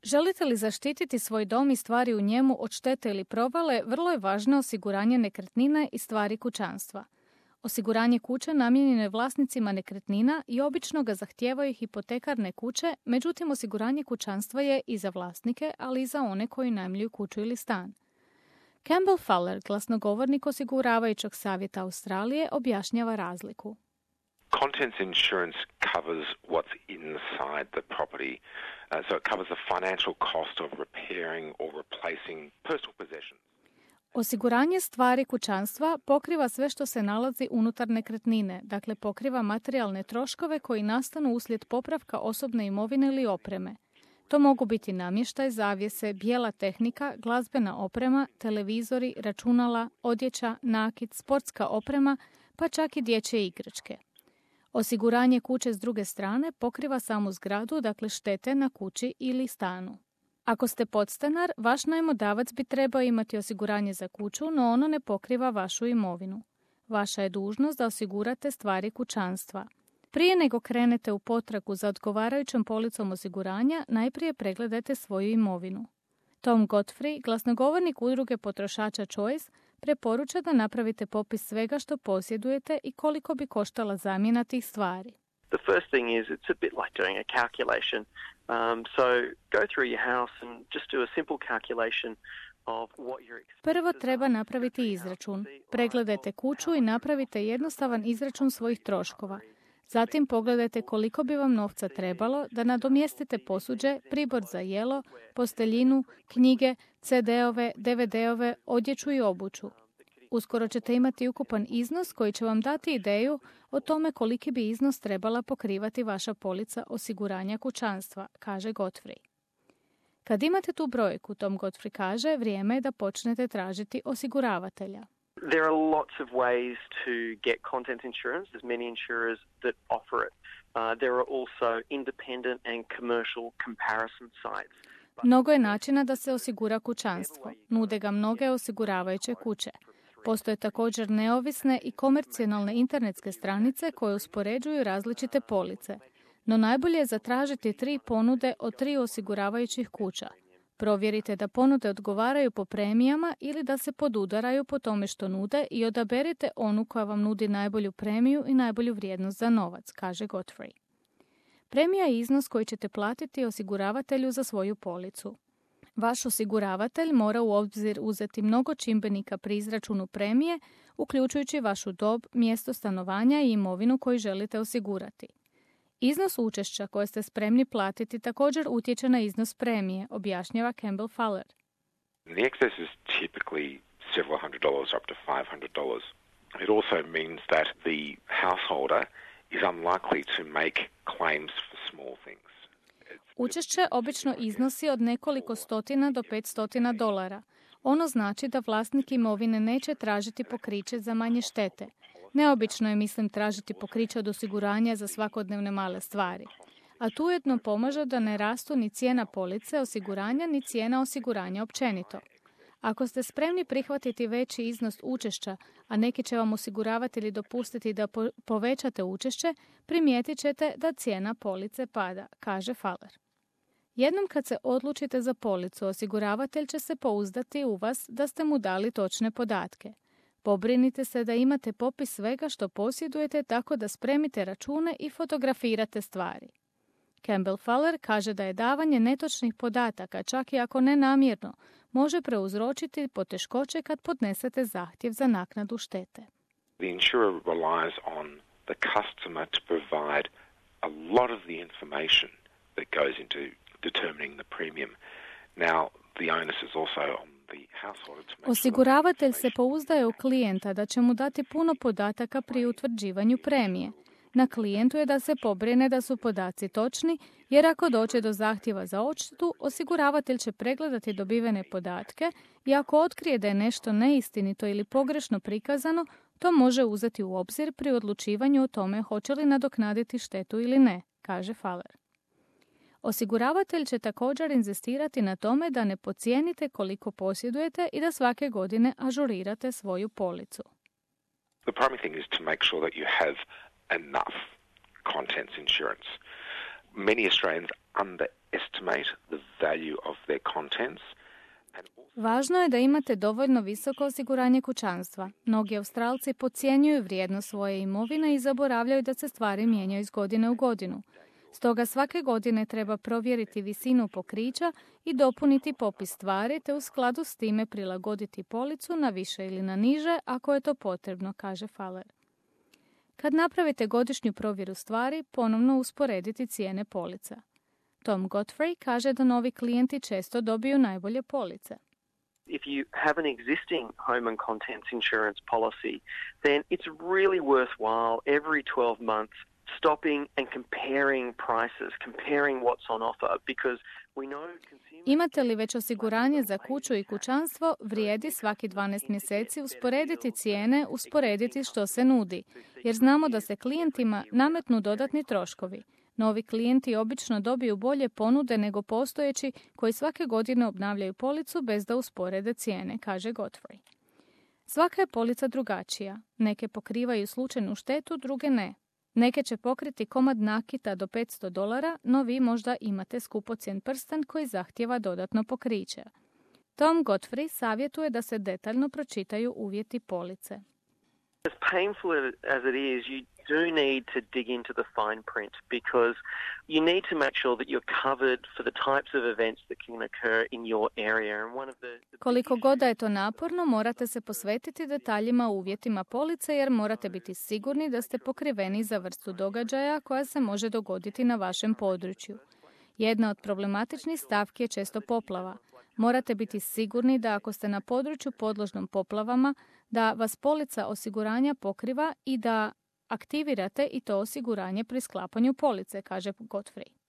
Želite li zaštititi svoj dom i stvari u njemu od štete ili provale, vrlo je važno osiguranje nekretnine i stvari kućanstva. Osiguranje kuće namijenjeno je vlasnicima nekretnina i obično ga zahtijevaju hipotekarne kuće, međutim osiguranje kućanstva je i za vlasnike, ali i za one koji najmljuju kuću ili stan. Campbell Fuller, glasnogovornik osiguravajućeg savjeta Australije, objašnjava razliku. Contents insurance covers what's inside the property, so it covers the financial cost of repairing or replacing personal possessions. Osiguranje stvari kućanstva pokriva sve što se nalazi unutar nekretnine, dakle pokriva materijalne troškove koji nastanu uslijed popravka osobne imovine ili opreme. To mogu biti namještaj, zavjese, bijela tehnika, glazbena oprema, televizori, računala, odjeća, nakit, sportska oprema, pa čak i dječje igračke. Osiguranje kuće s druge strane pokriva samu zgradu, dakle štete na kući ili stanu. Ako ste podstanar, vaš najmodavac bi trebao imati osiguranje za kuću, no ono ne pokriva vašu imovinu. Vaša je dužnost da osigurate stvari kućanstva. Prije nego krenete u potragu za odgovarajućom policom osiguranja, najprije pregledajte svoju imovinu. Tom Godfrey, glasnogovornik udruge potrošača Choice, preporuča da napravite popis svega što posjedujete i koliko bi koštala zamjena tih stvari. The first thing is it's a bit like doing a calculation. So go through your house and just do a simple calculation of what your expenses are. Prvo treba napraviti izračun. Pregledajte kuću i napravite jednostavan izračun svojih troškova. Zatim pogledajte koliko bi vam novca trebalo da nadomjestite posuđe, pribor za jelo, posteljinu, knjige, CD-ove, DVD-ove, odjeću i obuću. Uskoro ćete imati ukupan iznos koji će vam dati ideju o tome koliki bi iznos trebala pokrivati vaša polica osiguranja kućanstva, kaže Godfrey. Kad imate tu brojku, Tom Godfrey kaže, vrijeme je da počnete tražiti osiguravatelja. There are lots of ways to get contents insurance. There's many insurers that offer it. There are also independent and commercial comparison sites. Mnogo je načina da se osigura kućanstvo. Nude ga mnoge osiguravajuće kuće. Postoje također neovisne i komercijalne internetske stranice koje uspoređuju različite police. No najbolje je zatražiti 3 ponude od 3 osiguravajućih kuća. Provjerite da ponude odgovaraju po premijama ili da se podudaraju po tome što nude i odaberite onu koja vam nudi najbolju premiju i najbolju vrijednost za novac, kaže Godfrey. Premija je iznos koji ćete platiti osiguravatelju za svoju policu. Vaš osiguravatelj mora u obzir uzeti mnogo čimbenika pri izračunu premije, uključujući vašu dob, mjesto stanovanja i imovinu koju želite osigurati. Iznos učešća koje ste spremni platiti također utječe na iznos premije, objašnjava Campbell Fuller. The excess is typically several $100 up to $500. It also means that the householder is unlikely to make claims for small things. Učešće obično iznosi od nekoliko stotina do $500. Ono znači da vlasnik imovine neće tražiti pokriće za manje štete. Neobično je, tražiti pokriće od osiguranja za svakodnevne male stvari. A tu ujedno pomaže da ne rastu ni cijena police osiguranja, ni cijena osiguranja općenito. Ako ste spremni prihvatiti veći iznos učešća, a neki će vam osiguravatelji dopustiti da povećate učešće, primijetit ćete da cijena police pada, kaže Fuller. Jednom kad se odlučite za policu, osiguravatelj će se pouzdati u vas da ste mu dali točne podatke. Pobrinite se da imate popis svega što posjedujete tako da spremite račune i fotografirate stvari. Campbell Fuller kaže da je davanje netočnih podataka, čak i ako nenamjerno, može prouzročiti poteškoće kad podnesete zahtjev za naknadu štete. The insurer relies on the customer to provide a lot of the information that goes into determining the premium. Now, the onus is also on the householder to make Osiguravatelj se pouzdaje u klijenta da će mu dati puno podataka pri utvrđivanju premije. Na klijentu je da se pobrine da su podaci točni, jer ako dođe do zahtjeva za odštetu, osiguravatelj će pregledati dobivene podatke i ako otkrije da je nešto neistinito ili pogrešno prikazano, to može uzeti u obzir pri odlučivanju o tome hoće li nadoknaditi štetu ili ne, kaže Fuller. Osiguravatelj će također inzistirati na tome da ne podcijenite koliko posjedujete i da svake godine ažurirate svoju policu. The primary thing is to make sure that you have enough contents insurance. Many Australians estimate the value of their contents. Važno je da imate dovoljno visoko osiguranje kućanstva. Mnogi Australci podcjenjuju vrijednost svoje imovine i zaboravljaju da se stvari mijenjaju iz godine u godinu. Stoga svake godine treba provjeriti visinu pokrića i dopuniti popis stvari te u skladu s time prilagoditi policu na više ili na niže ako je to potrebno, kaže Faller. Kad napravite godišnju provjeru stvari, ponovno usporediti cijene polica. Tom Godfrey kaže da novi klijenti često dobiju najbolje police. If you have an existing home and contents insurance policy, then it's really worthwhile every 12 months stopping and comparing prices, comparing what's on offer, because we know consumers... Imate li već osiguranje za kuću i kućanstvo, vrijedi svaki 12 mjeseci usporediti cijene, usporediti što se nudi, jer znamo da se klijentima nametnu dodatni troškovi. Novi klijenti obično dobiju bolje ponude nego postojeći koji svake godine obnavljaju policu bez da usporede cijene, kaže Godfrey. Svaka je polica drugačija. Neke pokrivaju slučajnu štetu, druge ne. Neke će pokriti komad nakita do $500, no vi možda imate skupocjen prsten koji zahtijeva dodatno pokriće. Tom Godfrey savjetuje da se detaljno pročitaju uvjeti police. As painful as it is, you do need to dig into the fine print because you need to make sure that you're covered for the types of events that can occur in your area. And one of the Koliko god da je to naporno, morate se posvetiti detaljima u uvjetima police jer morate biti sigurni da ste pokriveni za vrstu događaja koja se može dogoditi na vašem području. Jedna od problematičnih stavki je često poplava. Morate biti sigurni da ako ste na području podložnom poplavama, da vas polica osiguranja pokriva i da aktivirate i to osiguranje pri sklapanju police, kaže Godfrey.